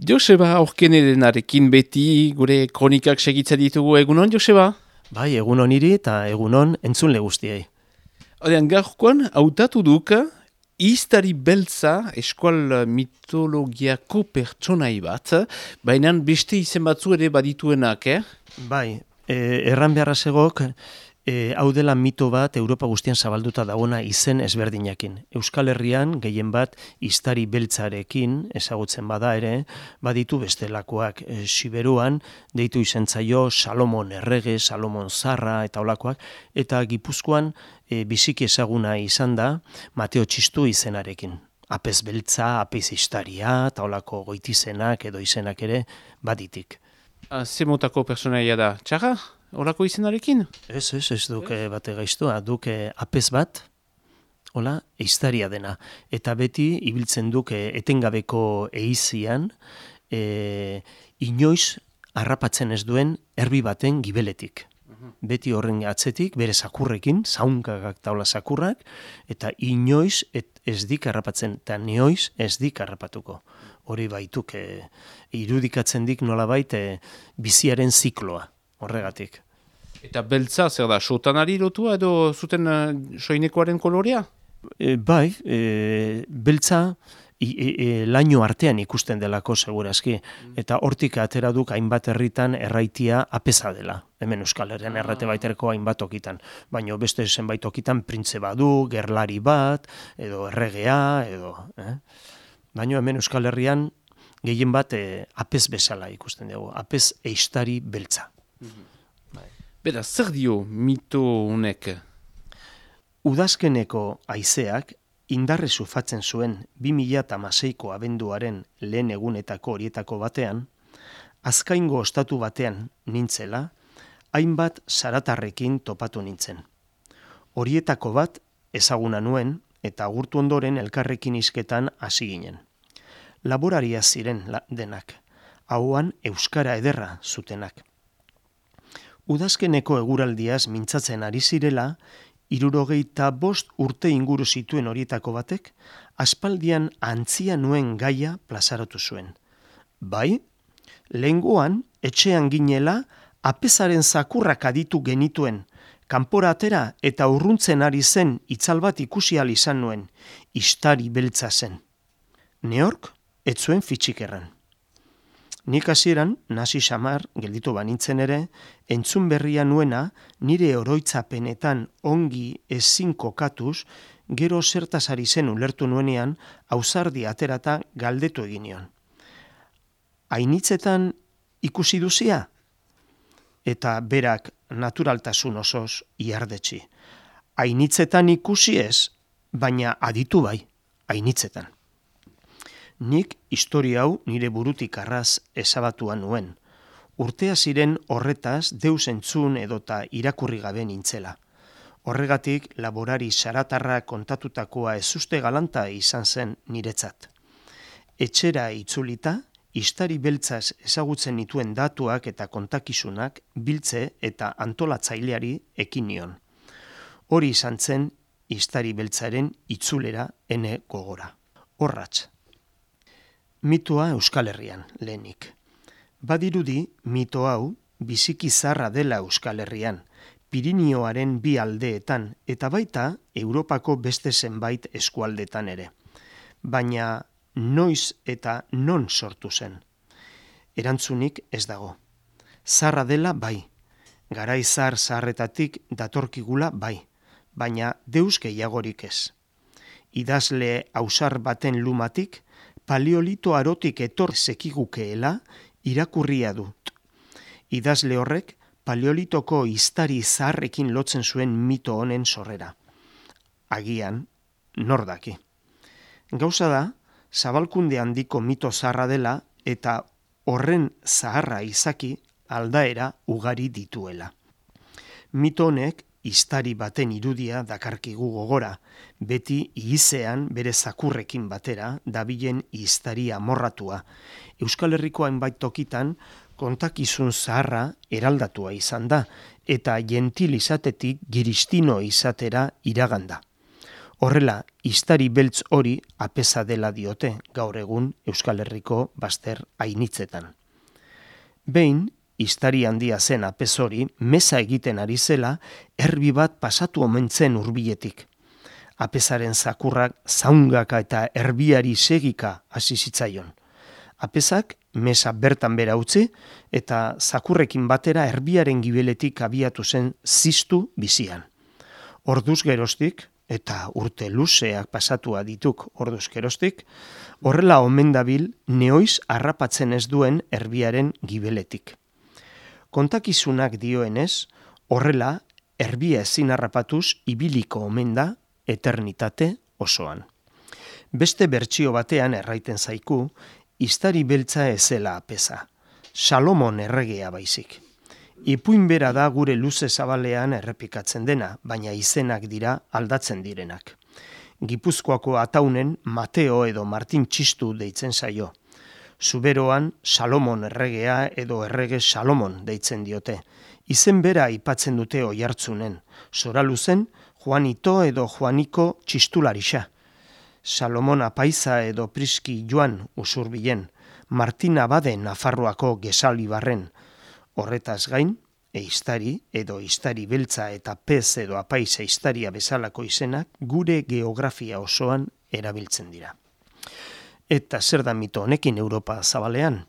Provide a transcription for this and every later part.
Joseba Aurkenerenarekin beti gure kronikak segitzen ditugu. Egunon, Joseba? Bai, egunon hiri eta egunon entzunle guztiei. Odean, gaurkoan hautatu duk Iztari beltza eskual mitologiako pertsonai bat, baina beste izen batzu ere badituenak, Bai, erran beharra zegok, hau dela mito bat Europa guztian zabalduta dagoena izen ezberdinakin. Euskal Herrian gehien bat iztari beltzarekin ezagutzen bada ere, baditu bestelakoak. Siberuan deitu izen zaio Salomon Errege, Salomon Zarra eta olakoak, eta Gipuzkoan biziki ezaguna izan da Mateo Txistu izenarekin. Apez beltza, apez istaria, eta olako goitizenak edo izenak ere baditik. Zemotako personaia da, txarra? Olako izenarekin? Ez duke bate gaiztua, duke apez bat, hola, istaria dena. Eta beti ibiltzen duke etengabeko eizian, inoiz harrapatzen ez duen erbi baten gibeletik. Beti horren atzetik, bere sakurrekin, zaunkagak taula sakurrak, eta inoiz ez dik harrapatzen, eta neoiz ez dik harrapatuko. Hori baituk irudikatzen dik nolabait biziaren zikloa, horregatik. Eta beltza, zer da, sotanari lotua edo zuten soinekoaren kolorea? Bai, beltza laino artean ikusten delako segurazki, eta hortik atera duk hainbat herritan erraitia apeza dela. Hemen Euskal Herrian errate baiterko hainbat okitan, baina beste zenbait okitan printze badu, gerlari bat, edo erregea, edo... Baina hemen Euskal Herrian gehien bat apez bezala ikusten dugu, apez eistari beltza. Bera, zer dio mito honek? Udazkeneko haizeak indarre sufatzen zuen 2006ko abenduaren lehen egunetako horietako batean, Azkaingo ostatu batean nintzela, hainbat zaratarrekin topatu nintzen. Horietako bat ezaguna nuen eta agurtu ondoren elkarrekin hizketan hasi ginen. Laboraria ziren denak, hauan euskara ederra zutenak. Udazkeneko eguraldiaz mintzatzen ari zirela, 75 urte inguru zituen horietako batek, aspaldian antzia nuen gaia plazaratu zuen. Bai, lehengoan, etxean ginela, apezaren zakurrak aditu genituen, kanpora atera eta urruntzen ari zen itzal bat ikusi ahal izan nuen, istari beltza zen. Neork, ez zuen fitxik erran. Nik hasieran, nasi samar, gelditu banintzen ere, entzun berria nuena, nire oroitzapenetan ongi ezin kokatuz, gero zertaz ari zen ulertu nuenean, ausardi aterata galdetu egin nion. Ainitzetan ikusi duzia? Eta berak naturaltasun osoz iardetsi. Ainitzetan ikusi ez, baina aditu bai, ainitzetan. Nik historia hau nire burutik arraz ezabatuan nuen. Urtea ziren horretaz deus entzun edota irakurri gabe nintzela. Horregatik laborari zaratarra kontatutakoa ezuste galanta izan zen niretzat. Etxera itzulita, istari beltzaz ezagutzen nituen datuak eta kontakizunak biltze eta antolatzaileari ekin nion. Hori izan zen istari beltzaren itzulera ene gogora. Horratz. Mitoa Euskal Herrian, lehenik. Badirudi mito hau biziki zarra dela Euskal Herrian, Pirinioaren bi aldeetan eta baita Europako beste zenbait eskualdetan ere. Baina noiz eta non sortu zen. Erantzunik ez dago. Zarra dela bai, garai zaharretatik datorkigula bai, baina deus gehiagorik ez. Idazle ausar baten lumatik, paleolito arotik etor zekigukeela irakurria dut. Idazle horrek paleolitoko iztari zaharrekin lotzen zuen mito honen sorrera. Agian, nor daki. Gauza da, zabalkunde handiko mito zaharra dela eta horren zaharra izaki aldaera ugari dituela. Mito honek iztari baten irudia dakarkigu gogora, beti ihizean bere zakurrekin batera dabilen iztari amorratua. Euskal Herriko hainbait tokitan kontakizun zaharra eraldatua izan da, eta gentil izatetik giristino izatera iraganda. Horrela, iztari beltz hori apeza dela diote gaur egun Euskal Herriko bazter ainitzetan. Behin, iztari handia zen apez hori, meza egiten ari zela, erbi bat pasatu omen zen hurbiletik. Apezaren zakurrak zaungaka eta erbiari segika hasi zitzaion. Apezak mesa bertan bera utzi eta zakurrekin batera erbiaren gibeletik abiatu zen ziztu bizian. Orduz geroztik, eta urte luzeak pasatua dituk orduz geroztik, horrela omen dabil neoiz harrapatzen ez duen erbiaren gibeletik. Kontakizunak dioenez, horrela erbia ezin harrapatuz ibiliko omen da eternitate osoan. Beste bertsio batean erraiten zaiku, iztari beltza ezela apeza, Salomon erregea baizik. Ipuin bera da gure luze zabalean errepikatzen dena, baina izenak dira aldatzen direnak. Gipuzkoako ataunen Mateo edo Martin Txistu deitzen zaio. Zuberoan Salomon erregea edo errege Salomon deitzen diote. Izen bera aipatzen dute oihartzunen, Soraluzen Juanito edo Juaniko Txistularixa. Salomon apaiza edo Priski Joan usurbilen, Martin Abade Nafarroako Gesalibarren. Horretaz gain, eiztari edo iztari beltza eta pez edo apaiza iztaria bezalako izenak gure geografia osoan erabiltzen dira. Eta zer da mito honekin Europa zabalean?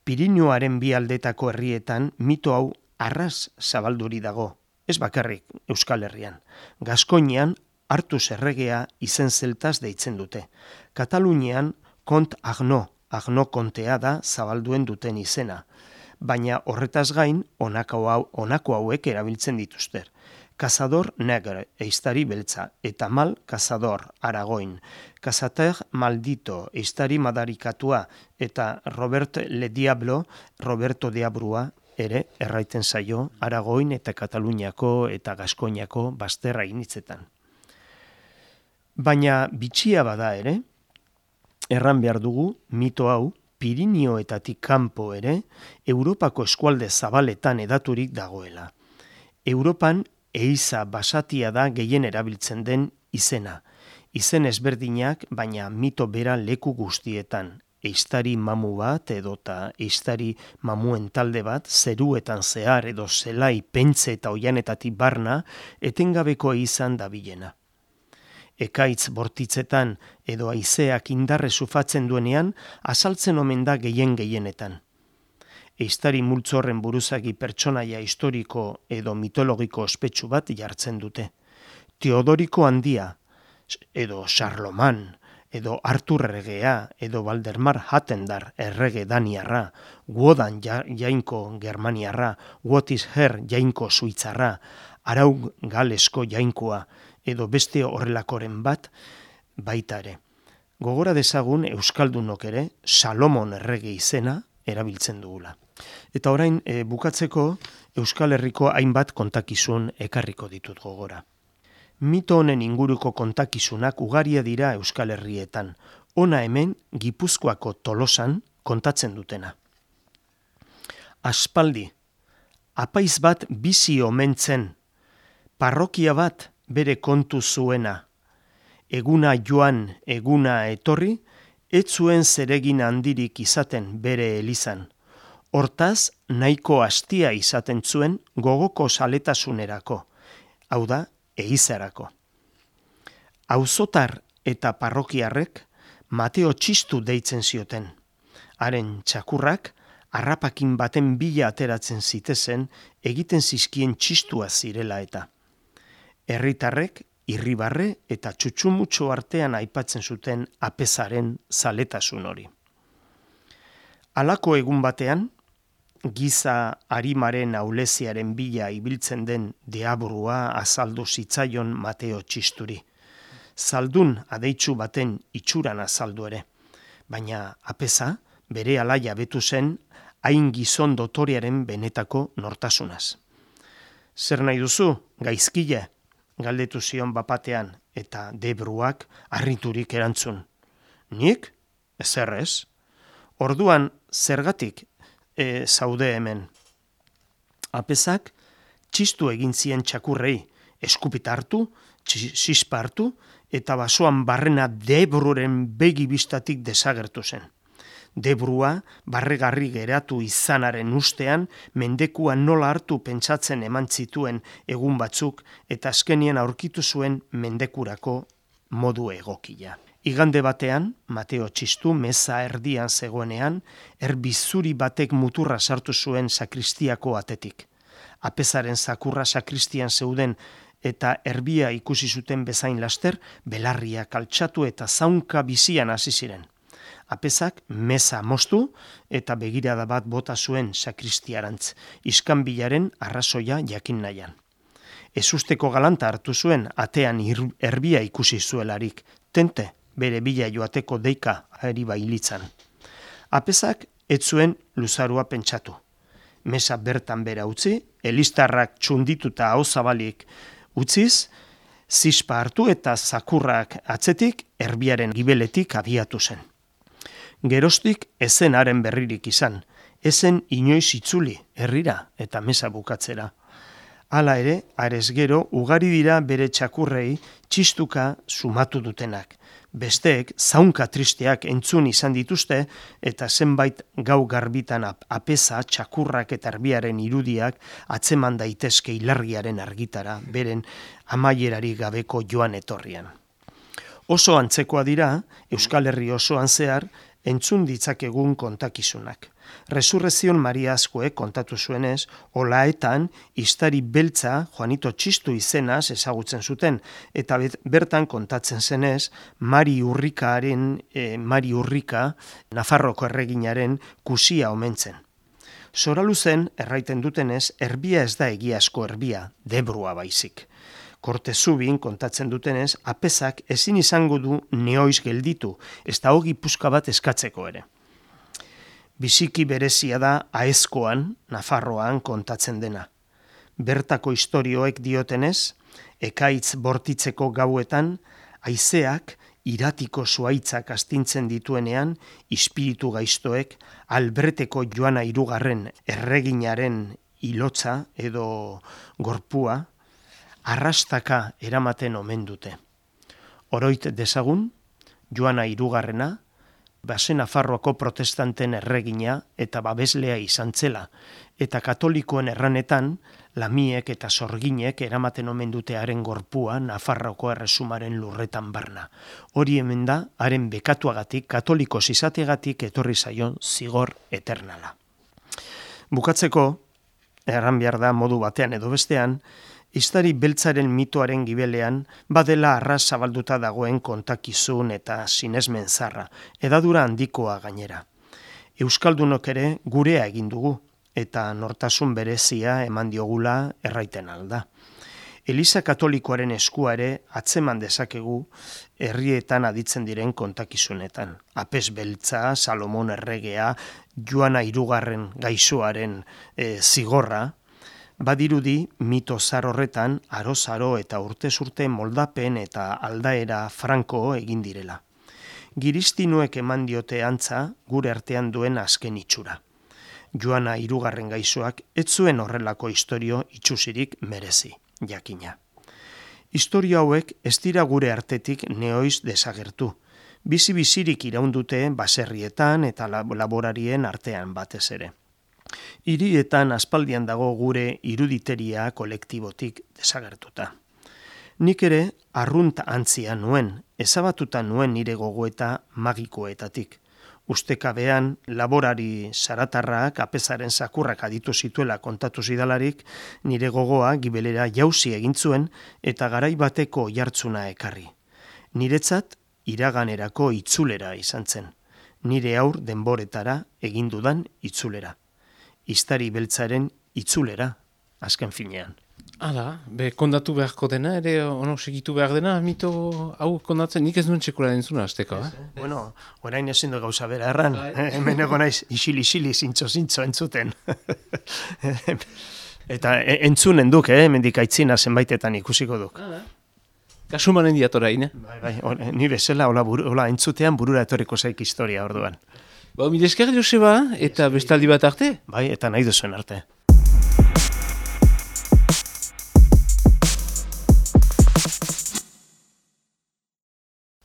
Pirinioaren bi aldetako herrietan mito hau arras zabalduri dago, ez bakarrik Euskal Herrian. Gaskoinean Artuz erregea izen zeltaz deitzen dute. Katalunian Kont Agno kontea da zabalduen duten izena. Baina horretaz gain honako hauek erabiltzen dituzter. Cazador Negre, eiztari beltza, eta Mal Cazador, Aragoin. Cazater Maldito, eiztari madarikatua, eta Robert Le Diablo, Roberto Diabrua, ere erraiten zaio Aragoin eta Kataluniako eta Gaskoinako bazter ainitzetan. Baina bitxia bada ere, erran behar dugu mito hau Pirinioetatik kanpo ere Europako eskualde zabaletan edaturik dagoela. Europan eiza basatia da gehien erabiltzen den izena. Izen ezberdinak, baina mito bera leku guztietan. Eiztari mamu bat edota eiztari mamuen talde bat zeruetan zehar edo zelai pentze eta oianetatik barna etengabeko izan dabilena. Ekaitz bortitzetan edo haizeak indarre sufatzen duenean azaltzen omen da gehienetan. Eiztari multzorren buruzagi pertsonaia historiko edo mitologiko ospetsu bat jartzen dute. Teodoriko Handia, edo Charloman, edo Artur erregea, edo Valdemar Hattendar errege daniarra, Wodan jainko germaniarra, Wotisher jainko suitzarra, Araug galesko jainkoa, edo beste horrelakoren bat baita ere. Gogora dezagun euskaldunok ere Salomon errege izena erabiltzen dugula. Eta orain bukatzeko Euskal Herriko hainbat kontakizun ekarriko ditut gogora. Mito honen inguruko kontakizunak ugaria dira Euskal Herrietan. Hona hemen Gipuzkoako Tolosan kontatzen dutena. Aspaldi, apaiz bat bizi omen zen, parrokia bat bere kontu zuena. Eguna joan, eguna etorri, ez zuen zeregin handirik izaten bere elizan. Hortaz, nahiko hastia izaten zuen gogoko saletasunerako, hau da, eizarako. Auzotar eta parrokiarrek Mateo Txistu deitzen zioten. Haren txakurrak, harrapakin baten bila ateratzen zitezen, egiten zizkien txistua zirela eta. Herritarrek, irribarre eta txutxumutxo artean aipatzen zuten apezaren zaletasun hori. Halako egun batean, giza arimaren auleziaren bila ibiltzen den deaburua azaldu zitzaion Mateo Txisturi. Zaldun adeitsu baten itxuran azaldu ere, baina apeza bere alaia betu zen hain gizon dotorearen benetako nortasunaz. Zer nahi duzu, gaizkile? Galdetu zion bapatean, eta debruak harriturik erantzun. Nik? Ezer ez? Orduan, zergatik zaude hemen? Apezak txistu egin zien txakurrei, eskupita hartu, zispa hartu, eta basoan barrena Debruren begi bistatik desagertu zen. Debrua barregarri geratu izanaren ustean, mendekua nola hartu pentsatzen eman zituen egun batzuk, eta azkenien aurkitu zuen mendekurako modu egokia. Igande batean, Mateo Txistu meza erdian zegoenean, erbizuri batek muturra sartu zuen sakristiako atetik. Apezaren zakurra sakristian zeuden eta erbia ikusi zuten bezain laster, belarriak altxatu eta zaunka bizian hasi ziren. Apezak meza moztu eta begirada bat bota zuen sakristiarantz, iskanbilaren arrazoia jakin nahian. Ezusteko galanta hartu zuen atean erbia ikusi zuelarik, tente bere bila joateko deika ari bailitzan. Apezak ez zuen luzarua pentsatu. Meza bertan bera utzi, elistarrak txundituta hau zabalik utziz, zispa hartu eta zakurrak atzetik erbiaren gibeletik abiatu zen. Geroztik ezen haren berririk izan, ezen inoiz itzuli herrira eta meza bukatzera. Hala ere, arez gero, ugari dira bere txakurrei txistuka sumatu dutenak. Besteek zaunka tristeak entzun izan dituzte eta zenbait gau garbitan apeza, txakurrak eta erbiaren irudiak atzeman daitezke ilargiaren argitara, beren amaierari gabeko joan etorrian. Oso antzekoa dira, Euskal Herri osoan zehar, entzun ditzakegun kontakizunak. Resurrezion Mariazkoek kontatu zuenez, olaetan istari beltza Juanito Txistu izenaz ezagutzen zuten, eta bertan kontatzen zenez, Mari Urrika, Nafarroko erreginaren kusia omentzen. Zoraluzen, erraiten dutenez, erbia ez da egiazko erbia, Debrua baizik. Kortezubin kontatzen dutenez, apezak ezin izango du neoiz gelditu, ez da hogi puska bat eskatzeko ere. Biziki berezia da Aezkoan, Nafarroan kontatzen dena. Bertako istorioek diotenez, ekaitz bortitzeko gauetan, haizeak iratiko zuaitzak astintzen dituenean, ispiritu gaiztoek Albreteko Joana Hirugarren erreginaren hilotza edo gorpua, arrastaka eramaten omen dute. Oroit dezagun, Joana Hirugarrena, Base Nafarroako protestanten erregina eta babeslea izan zela, eta katolikoen erranetan, lamiek eta sorginek eramaten omen dute haren gorpua Nafarroako erresumaren lurretan barna. Hori hemen da, haren bekatuagatik, katolikos izategatik etorri zaion zigor eternala. Bukatzeko, erran behar da modu batean edo bestean, Istari beltzaren mitoaren gibelean badela arras zabalduta dagoen kontakizun eta sinesmen zarra, edadura handikoa gainera. Euskaldunok ere gurea egin dugu eta nortasun berezia eman diogula erraiten alda. Eliza Katolikoaren eskua ere atzeman dezakegu herrietan aditzen diren kontakizunetan. Apez beltza, Salomon erregea, Joana Hirugarren gaixoaren zigorra, badirudi mito zar horretan aro-zaro eta urtez urte moldapen eta aldaera franko egin direla. Giristinuek eman diote antza gure artean duen azken itxura. Joana Hirugarren gaixoak ez zuen horrelako istorio itxusirik merezi, jakina. Istorio hauek ez dira gure artetik neoiz desagertu. Bizi-bizirik iraundute baserrietan eta laborarien artean batez ere. Hirietan aspaldian dago gure iruditeria kolektibotik desagertuta. Nik ere arrunt antzia nuen, ezabatuta nuen nire gogoeta magikoetatik. Ustekabean laborari zaratarrak apezaren zakurrak aditu zituela kontatu zidalarik, nire gogoa gibelera jauzi egin zuen eta garai bateko jartzuna ekarri. Niretzat iraganerako itzulera izan zen. Nire aur denboretara egin dudan itzulera. Istari beltzaren itzulera, azken finean. Hala, kondatu beharko dena, ere ono segitu behar dena, mito hau kondatzen, nik ez duen txekula entzuna azteko, Bueno, orain ezin du gauza bera erran, hemen ego naiz isili-isili, zintzo entzuten. Eta entzunen duk, mendik aitzina zenbaitetan ikusiko duk. Kasumanen diatorain, Bai, ni bezala, hola entzutean burura etorriko zaik historia orduan. Mil esker, Joseba, eta bestaldi bat arte? Bai, eta nahi duzuen arte.